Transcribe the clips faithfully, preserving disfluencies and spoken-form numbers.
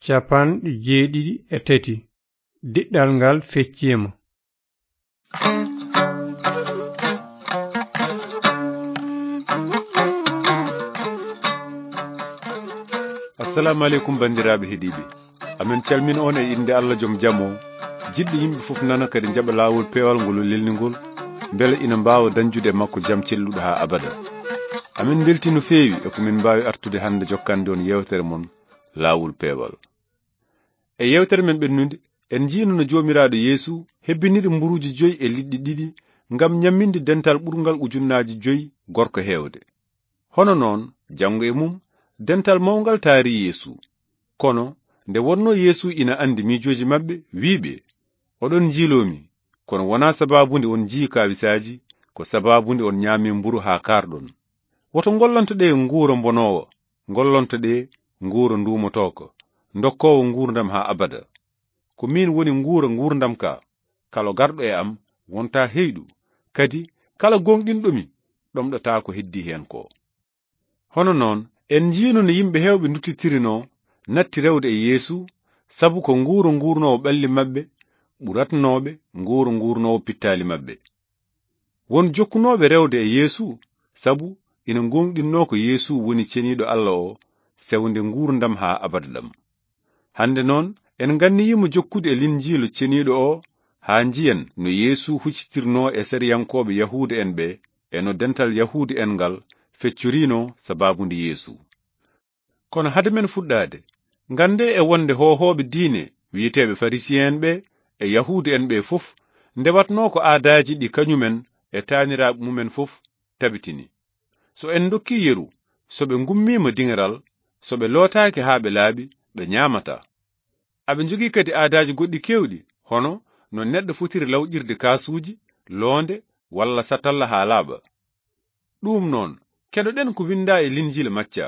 Capanɗe jeeɗiɗi e tati. Diɗɗal ngal fecciima. Assalamu aleykum, banndiraaɓe heɗiiɓe. Amin calmina on e innde Allah joom jam o, jiɗɗo yimɓe fof nana kadi njaɓa laawol peewal ngol o lelni ngol, mbele ina mbaawa dañjude e makko jam celluɗo haa abada. Amin mbelti no feewi e ko min mbaawi artude hannde jokkande on yeewtere mon, Laawol Peewal. E yeewtere men ɓennude, en njiino no Joomiraaɗo Yeesu hebbiniri mburuuji joyi e liɗɗi ɗiɗi ngam ñamminde dental ɓurngal ujunnaaji joyi gorko heewde. Hono noon, janngo e mum, dental mawngal taari Yeesu. Kono, nde wonnoo Yeesu ina anndi miijooji maɓɓe, wii ɓe, "Oɗon njiiloo mi, kono wonaa sabaabu nde on njii kaawisaaji, ko sabaabu nde on ñaami mburu haa kaarɗon. Woto ngollonto ɗe nguura mbonoowa, ngollonto ɗe nguura nduumotooko, ndokkoowo nguurndam haa abada. Ko miin woni nguura nguurndam ka, kala garɗo e am wontaa heyɗu, kadi kala gooŋɗinɗo mi ɗomɗataa ko heddii heen ko." Hono noon, en njiino no yimɓe heewɓe nduttitirino natti rewde e Yeesu, sabu ko nguura nguurnoowo ɓalli maɓɓe ɓuratnooɓe nguura nguurnoowo pittaali maɓɓe. Won jokkunooɓe rewde e Yeesu, sabu ina ngooŋɗinnoo ko Yeesu woni Ceniiɗo Allah o, sewnde nguurndam haa abada ɗam. Hannde noon, en nganniyiima jokkude e Linjiilu Ceniiɗo o, haa njiyen no Yeesu huccitirnoo e sariyankooɓe Yahuudu'en ɓe, e no dental Yahuudu'en ngal feccorinoo sabaabu nde Yeesu. Kono hade men fuɗɗaade, nganndee e wonde hoohooɓe diine wiyeteeɓe Farisiye'en ɓe e Yahuudu'en ɓe fof ndewatnoo ko aadaaji ɗi kañumen e taaniraaɓe mumen fof tabitini. So en ndokkii yeru, so ɓe ngummiima diŋeral, so ɓe lootaaki haa ɓe laaɓi, ɓe ñaamataa. Aɓe njogii kadi aadaaji goɗɗi keewɗi, hono no neɗɗo fotiri lawƴirde kaasuuji, loonde, walla satalla haa laaɓa. Ɗuum noon, keɗoɗen ko winndaa e Linjiila Macca.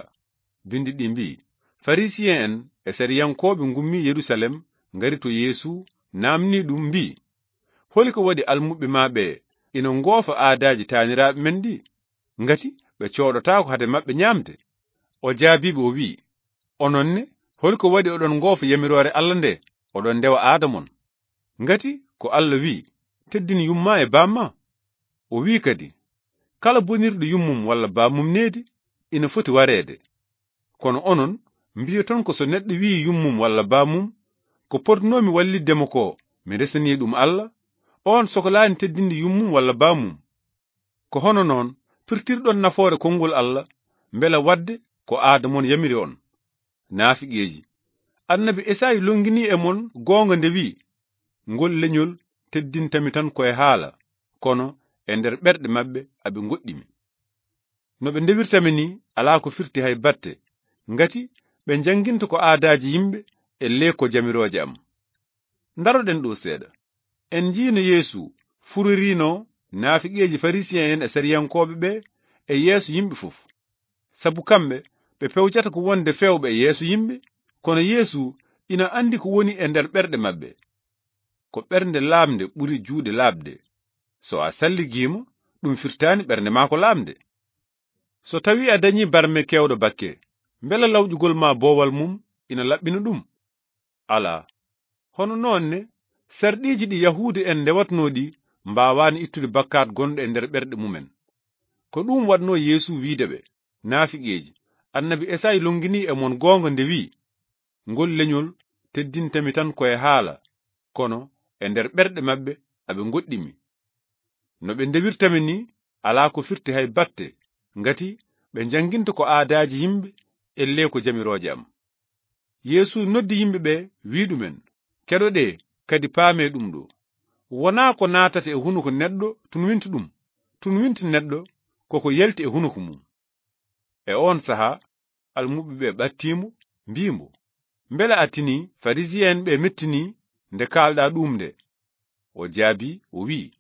Binndi ɗi mbii, Farisiye'en e sariyankooɓe ngummii Yerusalem, ngari to Yeesu, naamnii ɗum, mbii, "Holi ko waɗi almuɓɓe ma ɓe ina ngoofa aadaaji taaniraaɓe men ɗi? Ngati ɓe cooɗotaako hade maɓɓe ñaamde?" O jaabii ɓe, o wii, "Onon ne, holi ko waɗi oɗon ngoofa yamiroore Allah nde, oɗon ndewa aada mon? Ngati ko Allah wii, 'Teddin yumma e baamma.' O wii kadi, 'Kala bonirɗo yummum walla baamum needi, ina foti wareede.' Kono onon, mbiyoton ko so neɗɗo wii yummum walla baamum, 'Ko potnoomi wallitde mo ko, mi resanii ɗum Allah,' oon sokolaani teddinde yummum walla baamum. Ko hono noon pirtirɗon nafoore konngol Allah, mbela waɗde ko aada mon yamiri on. Naafiqeeji! Annabi Esaayi lonnginii e mon goonga nde wi'i, 'Ngol leñol teddintami tan ko e haala, kono e nder ɓerɗe maɓɓe aɓe ngoɗɗi mi.' No ɓe ndewirta mi nii, alaa ko firti hay batte, ngati ɓe njannginta ko aadaaji yimɓe, ellee ko jamirooje am. Ndaroɗen ɗo seeɗa. En njiino Yeesu furoriino naafiqeeji Farisiye'en e sariyankooɓe ɓe e yeeso yimɓe fof. Sabu kamɓe, ɓe pewjata ko wonde feewɓe e yeeso yimɓe, kono Yeesu ina anndi ko woni e nder ɓerɗe maɓɓe. Ko ɓernde laamnde ɓuri juuɗe laaɓde. So a salligiima, ɗum firtaani ɓernde maa ko laamnde. So tawii a dañii barme keewɗo bakke, mbela lawƴugol ma boowal mum ina laɓɓina ɗum? Alaa. Hono noon ne, sarɗiiji ɗi Yahuudu'en ndewatnoo ɗi mbaawaani ittude bakkaat gonɗo e nder ɓerɗe mumen. Ko ɗum waɗnoo Yeesu wiide ɓe, naafiqeeji, Annabi Esaayi lonnginii e mon goonga nde wi'i, "Ngol leñol teddinta mi tan ko e haala, kono e nder ɓerɗe maɓɓe aɓe ngoɗɗi mi. No ɓe ndewirta mi nii, alaa ko firti hay batte, ngati ɓe njannginta ko aadaaji yimɓe, ellee ko jamirooje am." Yeesu noddi yimɓe ɓe, wi'i ɗumen, "Keɗoɗee, kadi paamee ɗum ɗo. Wonaa ko naatata e hunuko neɗɗo tun winta ɗum, tun winta neɗɗo ko ko yalti e hunuko mum." E oon sahaa, almuɓɓe ɓe ɓattii mo, mbii mo, "Mbela a tinii Farisiye'en ɓe mettinii nde kaalɗaa ɗuum nde?" O jaabii, o wi'i,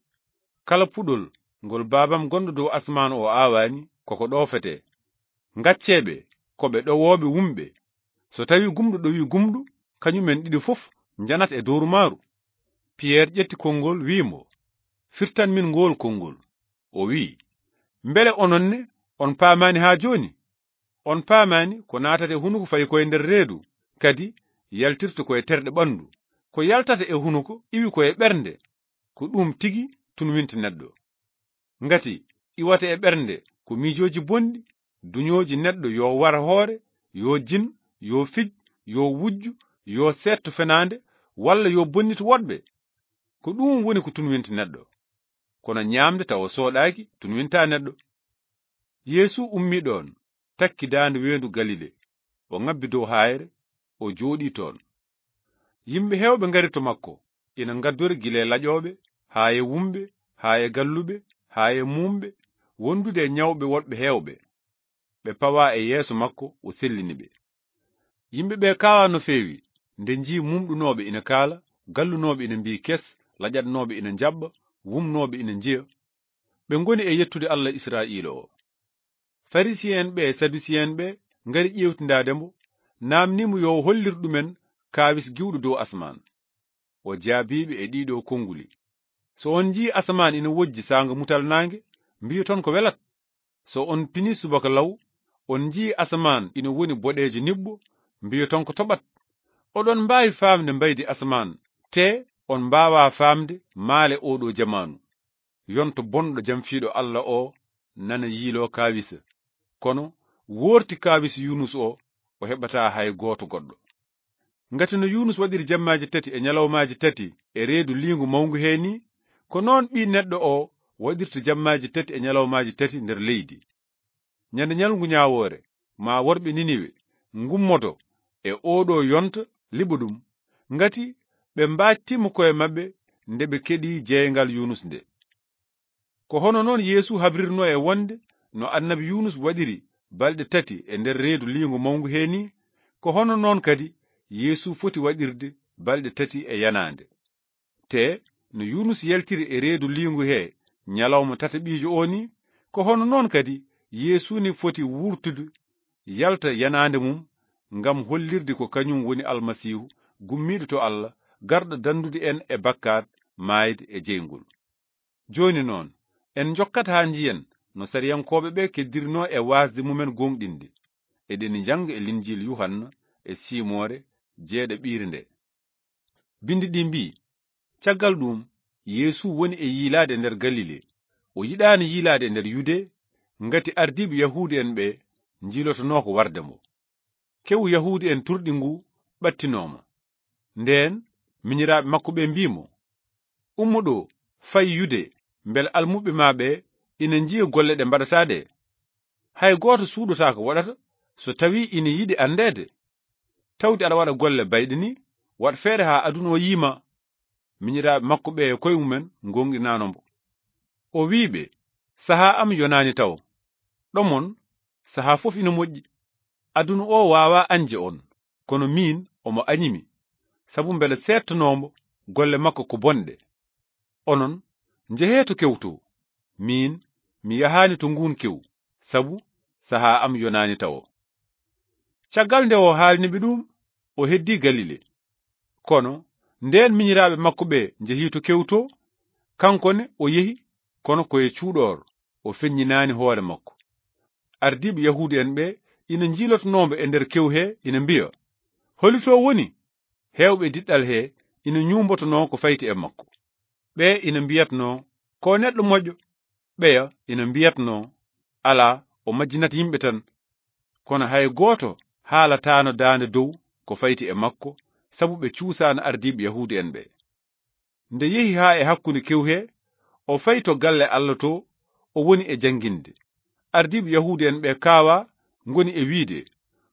"Kala puɗol ngol Baabam gonɗo dow asmaan o aawaani, ko ko ɗoofetee. Ngaccee ɓe, ko ɓe ɗowooɓe wumɓe. So tawii gumɗo ɗowii gumɗo, kañumen ɗiɗo fof njanat e dowru maaru." Piyeer ƴetti konngol, wi'i mo, "Firtan min ngool konngol." O wi'i, "Mbele onon ne, on paamaani haa jooni? On paamaani ko naatata e hunuko fayi ko e nder reedu, kadi yaltirta ko e terɗe ɓanndu, ko yaltata e hunuko iwi ko e ɓernde, ko ɗum tigi tunwinta neɗɗo. Ngati iwata e ɓernde ko miijooji bonɗi, duñooji neɗɗo yo war hoore, yo jin, yo fij, yo wujju, yo seetto fenaande, walla yo bonnit woɗɓe. Ko ɗum woni ko tunwinta neɗɗo. Kono ñaamde tawa sooɗaaki tunwinta neɗɗo. Yeesu ummii ɗoon, takki daande weendu Galile, o ŋabbi dow haayre, o jooɗii toon. Yimɓe heewɓe ngari to makko, ina ngaddori gila e laƴooɓe, haa e wumɓe, haa e galluɓe, haa e muumɓe, wondude e ñawɓe woɗɓe heewɓe. Ɓe pawaa e yeeso makko, o sellini ɓe. Yimɓe ɓe kaawaa no feewi, nde njii mumɗunooɓe ina kaala, gallunooɓe ina mbii kes, laƴatnooɓe ina njaɓɓa, wumnooɓe ina njiya. Ɓe ngoni e yettude Allah Israa'iila o. Farisi'en ɓe e Sadusi'en ɓe ngari ƴeewtindaade mo, naamnii mo yo o hollir ɗumen kaawis giwɗo dow asmaan. O jaabii ɓe e ɗiiɗoo konnguli. So on njii asamaan ina wojji saanga mutal naange, mbiyoton ko welat. So on pinii subaka law, on njii asamaan ina woni boɗeejo niɓɓo, mbiyoton ko toɓat. Oɗon mbaawi faamde mbaydi asamaan, te on mbaawaa faamde maale oo ɗoo jamaanu. Yonto bonɗo jamfiiɗo Allah o nana yiiloo kaawisa. Kono woorti kaawisa Yunus o, o heɓataa hay gooto goɗɗo. Ngati no Yunus waɗiri jammaaji tati e ñalawmaaji tati e reedu liingu mawngu hee nii, ko noon Ɓii Neɗɗo o waɗirta jammaaji tati e ñalawmaaji tati nder leydi. Ñande ñalngu ñaawoore, maa worɓe Niniwe ngummoto e oo ɗoo yonta liɓa ɗum, ngati ɓe mbaajtiima ko'e maɓɓe nde ɓe keɗii jeeyngal Yunus nde. Ko hono noon Yeesu habrirnoo e wonde no annabi Yunus waɗiri balɗe tati e nder reedu liingu mawngu hee nii, ko hono noon kadi Yeesu foti waɗirde balɗe tati e yanaande. Te no Yunus yaltiri e reedu liingu hee ñalawma tataɓiijo o nii, ko hono noon kadi Yeesu ne foti wurtude, yalta yanaande mum, ngam hollirde ko kañum woni Almasiihu gummiiɗo to Allah, garɗo danndude en e bakkaat, maayde e jeyngol. Jooni noon, en njokkat haa njiyen no sariyankooɓe ɓe keddirinoo e waasde mumen gooŋɗinde. Eɗen njannga e Linjiil Yuhanna e siimoore jeeɗaɓiire nde. Binndi ɗi mbii, caggal ɗum, Yeesu woni e yiilaade e nder Galile. O yiɗaani yiilaade e nder Yude, ngati ardiiɓe Yahuudu'en ɓe njiilotonoo ko warde mo. Kewu Yahuudu'en turɗi ngu ɓattinoo mo. Ndeen, miñiraaɓe makko ɓe mbii mo, ummo ɗo, fay Yude, mbele almuɓɓe ma ɓe ina njiya golle ɗe mbaɗataa ɗe. Hay gooto suuɗotaako waɗata so tawii ina yiɗi anndeede. Tawde aɗa waɗa golle bayɗe ni, waɗ feere haa aduna o yii ma. Miñiraaɓe makko ɓe e koye mumen ngoonɗinaano mbo. O wii ɓe, sahaa am yonaani taw. Ɗomon, sahaa fof ina moƴƴi. Aduna o waawaa añde on, kono miin omo añi mi, sabu mbele seettanoo mbo golle makko ko bonɗe. Onon, njehee to kew to. Miin, mi yahaani to nguun kew, sabu sahaa am yonaani tawo. Caggal nde o haalni ɓe ɗum, o heddii Galile. Kono ndeen miñiraaɓe makko ɓe njehii to kew to, kanko ne o yehi, kono ko e cuuɗoor, o feññinaani hoore makko. Ardiiɓe Yahuudu'en ɓe ina njiilotonoo mbo e nder kew he, ina mbiya, holi to woni? Heewɓe diɗɗal he ina ñuumbotonoo ko fayti e makko. Ɓe ina mbiyatnoo, ko neɗɗo moƴƴo. Ɓeya ina mbiyatnoo, alaa, o majjinat yimɓe tan. Kono hay gooto haalataano daande dow ko fayti e makko, sabu ɓe cuusaano ardiiɓe Yahuudu'en ɓe. Nde yehi haa e hakkunde kew he, o fayi to galle Alla to, o woni e jannginde. Ardiiɓe Yahuudu'en ɓe kaawaa ngoni e wiide,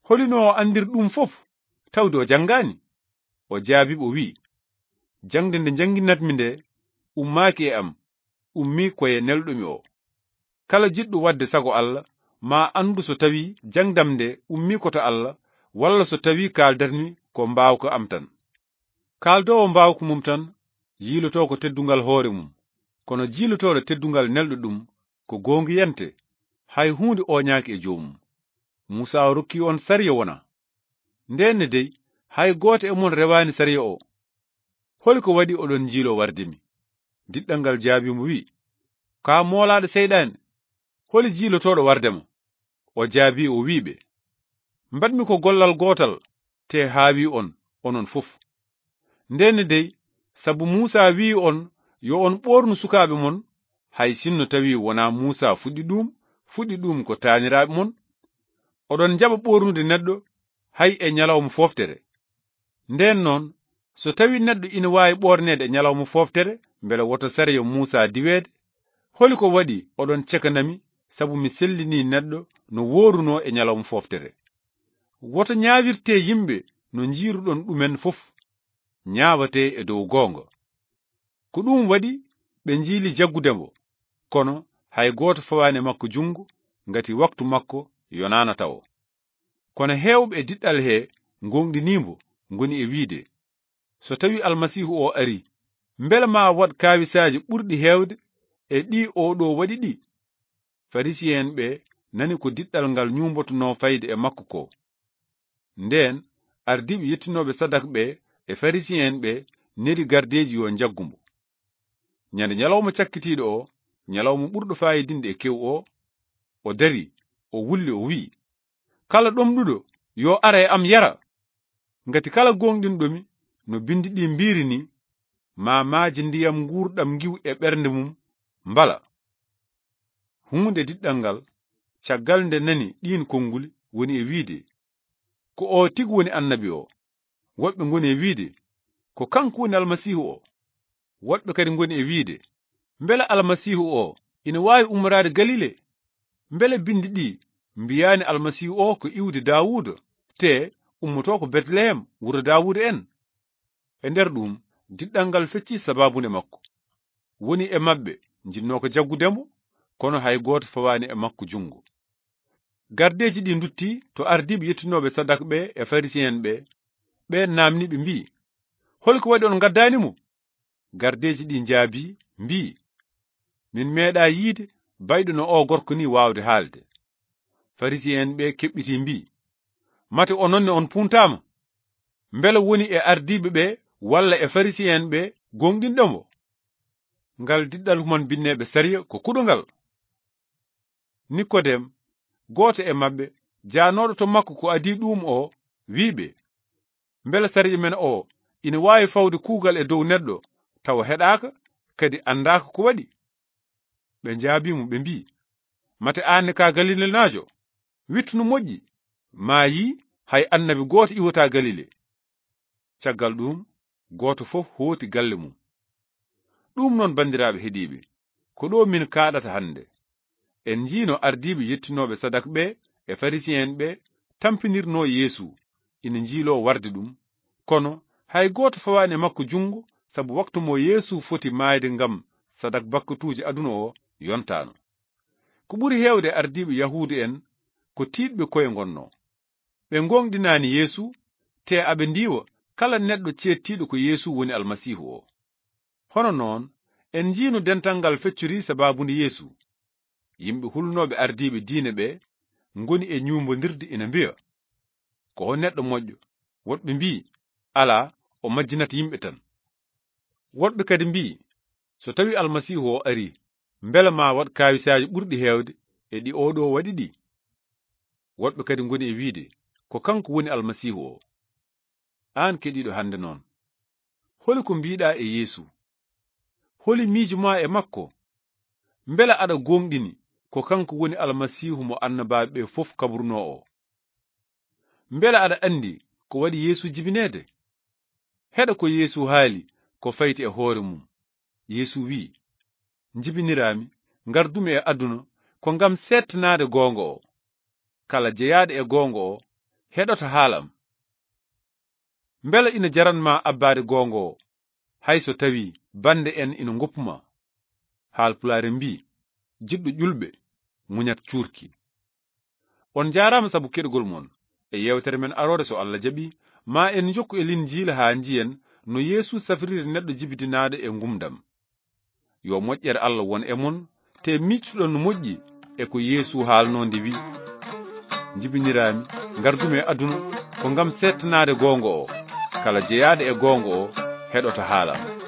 holi no o anndiri ɗum fof, tawde o janngaani? O jaabii ɓe, o wi'i, jaŋde nde njannginatmi nde ummaaki e am, ummii ko e nelɗo mi o. Kala jiɗɗo waɗde sago Alla, maa anndu so tawii jaŋde am nde ummii ko to Alla, walla so tawii kaaldatmi ko mbaawka am tan. Kaaldoowo mbaawka mum tan, yiilotoo ko teddungal hoore mum, kono jiilotooɗo teddungal nelɗo ɗum, ko goongiyante, hay huunde ooñaaki e joomum. Muusaa o rokkii on sariya wona. Ndeen ne dey, hay gooto e mon rewaani sariya o. Holi ko waɗi oɗon njiiloo warde mi? Diɗɗal ngal jaabii mo, wi'i, kaa moolaaɗo seyɗaane, holi jiilotooɗo warde ma? O jaabii, o wi'i ɓe, mbaɗmi ko gollal gootal, te haawi on, onon fof. Ndenne dey, sabu Muusa wi'i on yo on ɓoornu sukaaɓe mon, hay sinno tawi wonaa Muusa fuɗɗi ɗum, fuɗɗi ɗum ko taaniraaɓe mon, oɗon njaɓa ɓoornude neɗɗo hay e ñalawma fooftere. Ndeen noon, so tawi neɗɗo ina waawi ɓoorneede e ñalawma fooftere, mbele woto sariya Muusa diweede? Holi ko waɗi oɗon cekanami sabu mi sellinii neɗɗo no woorunoo e ñalawma fooftere? Woto ñaawirtee yimɓe no njiiruɗon ɗumen fof, ñaawatee e dow goonga. Ko ɗum waɗi ɓe njiili jaggude mo, kono hay gooto fawaani e makko junngo, ngati waktu makko yonaana tawo. Kono heewɓe e diɗɗal hee ngooŋɗinii mbo, ngoni e wiide, so tawi Almasiihu o ari, mbele maa waɗ kaawisaaji ɓurɗi heewde e ɗi o ɗo waɗi ɗi? Farisiyen ɓe nani ko diɗɗal ngal ñuumbotonoo fayde e makko ko. Ndeen, ardiiɓe yettinooɓe sadak ɓe e Farisiyen ɓe neli gardeeji yo njaggu mbo. Ñande ñalawma cakkitiiɗo o, ñalawma ɓurɗo faayidinde e kew o, o dari, o wulli, o wi'i, "Kala ɗomɗuɗo, yo ara e am yara. Ngati kala gooŋɗinɗo mi, no binndi ɗi mbiiri ni, ma maaji ndiyam nguurɗam ngiw e ɓernde mum mbala." Huunde diɗɗal ngal, caggal nde nani ɗiin konnguli, woni e wiide, "Ko o tigi woni annabi o." Woɓɓe ngoni e wiide, "Ko kanko woni Almasiihu o." Woɓɓe kadi ngoni e wiide, "Mbele Almasiihu o ina waawi ummoraade Galile? Mbele binndi ɗi mbiyaani Almasiihu o ko iwdi Daawuda, te ummotoo ko Betlehem, wuro Daawuda en?" E nder ɗum, diɗɗal ngal feccii sabaabunde makko. Woni e maɓɓe njinnoo ko jaggude mo, kono hay gooto fawaani e makko junngo. Gardeeji ɗi ndutti to ardiiɓe yettinooɓe sadak ɓe e Farisiyen ɓe, ɓe naamni ɓe mbi'i, "Holi ko waɗi on ngaddaani mo?" Gardeeji ɗi njaabii, mbi'i, "Min meeɗaa yiide bayɗo no o gorko ni waawde haalde." Farisiyen ɓe keɓɓitii mbi'i, "Mate onon ne on puntaama? Mbele woni e ardiiɓe ɓe walla e Farisiyen ɓe gooŋɗinɗo mo?" Ngal diɗɗal human binneeɓe sariya ko kuɗungal. Nikodem, gooto e maɓɓe, jaanooɗo to makko ko adii ɗum o, wi'i ɓe, "Mbele sariya men o ina waawi fawde kuugal e dow neɗɗo tawa heɗaaka, kadi anndaaka ko waɗi?" Ɓe njaabii mo, ɓe mbi'i, "Mate aan ne ka Galilenaajo? Wittu no moƴƴi, maa yii hay annabi gooto iwataa Galile." Caggal ɗum, gooto fof hooti galle mum. Ɗum noon, banndiraaɓe heɗiiɓe, ko ɗo min kaaɗata hannde. En njiino ardiiɓe yettinooɓe sadak ɓe e Farisiyen ɓe tampinirnoo Yeesu, ina njiiloo warde ɗum. Kono hay gooto fawaani e makko junngo, sabu waktu mo Yeesu foti maayde ngam sadak bakkatuuji aduna o yontaano. Ko ɓuri heewde ardiiɓe Yahuudu en ko tiiɗɓe koye ngonnoo. Ɓe ngooŋɗinaani Yeesu, te aɓe ndiiwa kala neɗɗo ceettiiɗo ko Yeesu woni Almasiihu o. Hono noon, en njiino dental ngal feccori sabaabunde Yeesu. Yimɓe hulnooɓe ardiiɓe diine ɓe ngoni e ñuumbondirde ina mbiya, "Ko o neɗɗo moƴƴo." Woɗɓe mbi'i, "Alaa, o majjinat yimɓe tan." Woɗɓe kadi mbi'i, "So tawi Almasiihu o ari, mbele maa waɗ kaawisaaji ɓurɗi heewde e ɗi o ɗo waɗi ɗi?" Woɗɓe kadi ngoni e wiide, "Ko kanko woni Almasiihu o." Aan keɗiiɗo hannde noon, holi ko mbiiɗaa e Yeesu? Holi miijo maa e makko? Mbele aɗa gooŋɗini ko kanko woni Almasiihu mo annabaaɓe ɓe fof kabrunoo o? Mbele aɗa anndi ko waɗi Yeesu jibineede? Heɗa ko Yeesu haali ko fayti e hoore mum. Yeesu wi'i, "Njibiniraami, ngardumi e aduna ko ngam seettanaade goonga o. Kala jeyaaɗo e goonga o heɗoto haala am." Mbele ina jaran ma abbaade goonga o, hay so tawi bannde en ina ngoppu ma? Haalpulaar en mbi'i, "Jiɗɗo ƴulɓe, muñat cuurki." On njaaraama sabu keɗugol mon e yeewtere men aroore, so Allah jaɓi, ma en njokku e Linjiila haa njiyen no Yeesu safriri neɗɗo jibidinaaɗo e ngumdam. Yo moƴƴere Allah won e mon, te miictuɗon no moƴƴi e ko Yeesu haalnoo nde wi'i, "Njibiniraami, ngardumi e aduna ko ngam seettanaade goonga o. Kala jeyaaɗo e goonga o heɗoto haala am."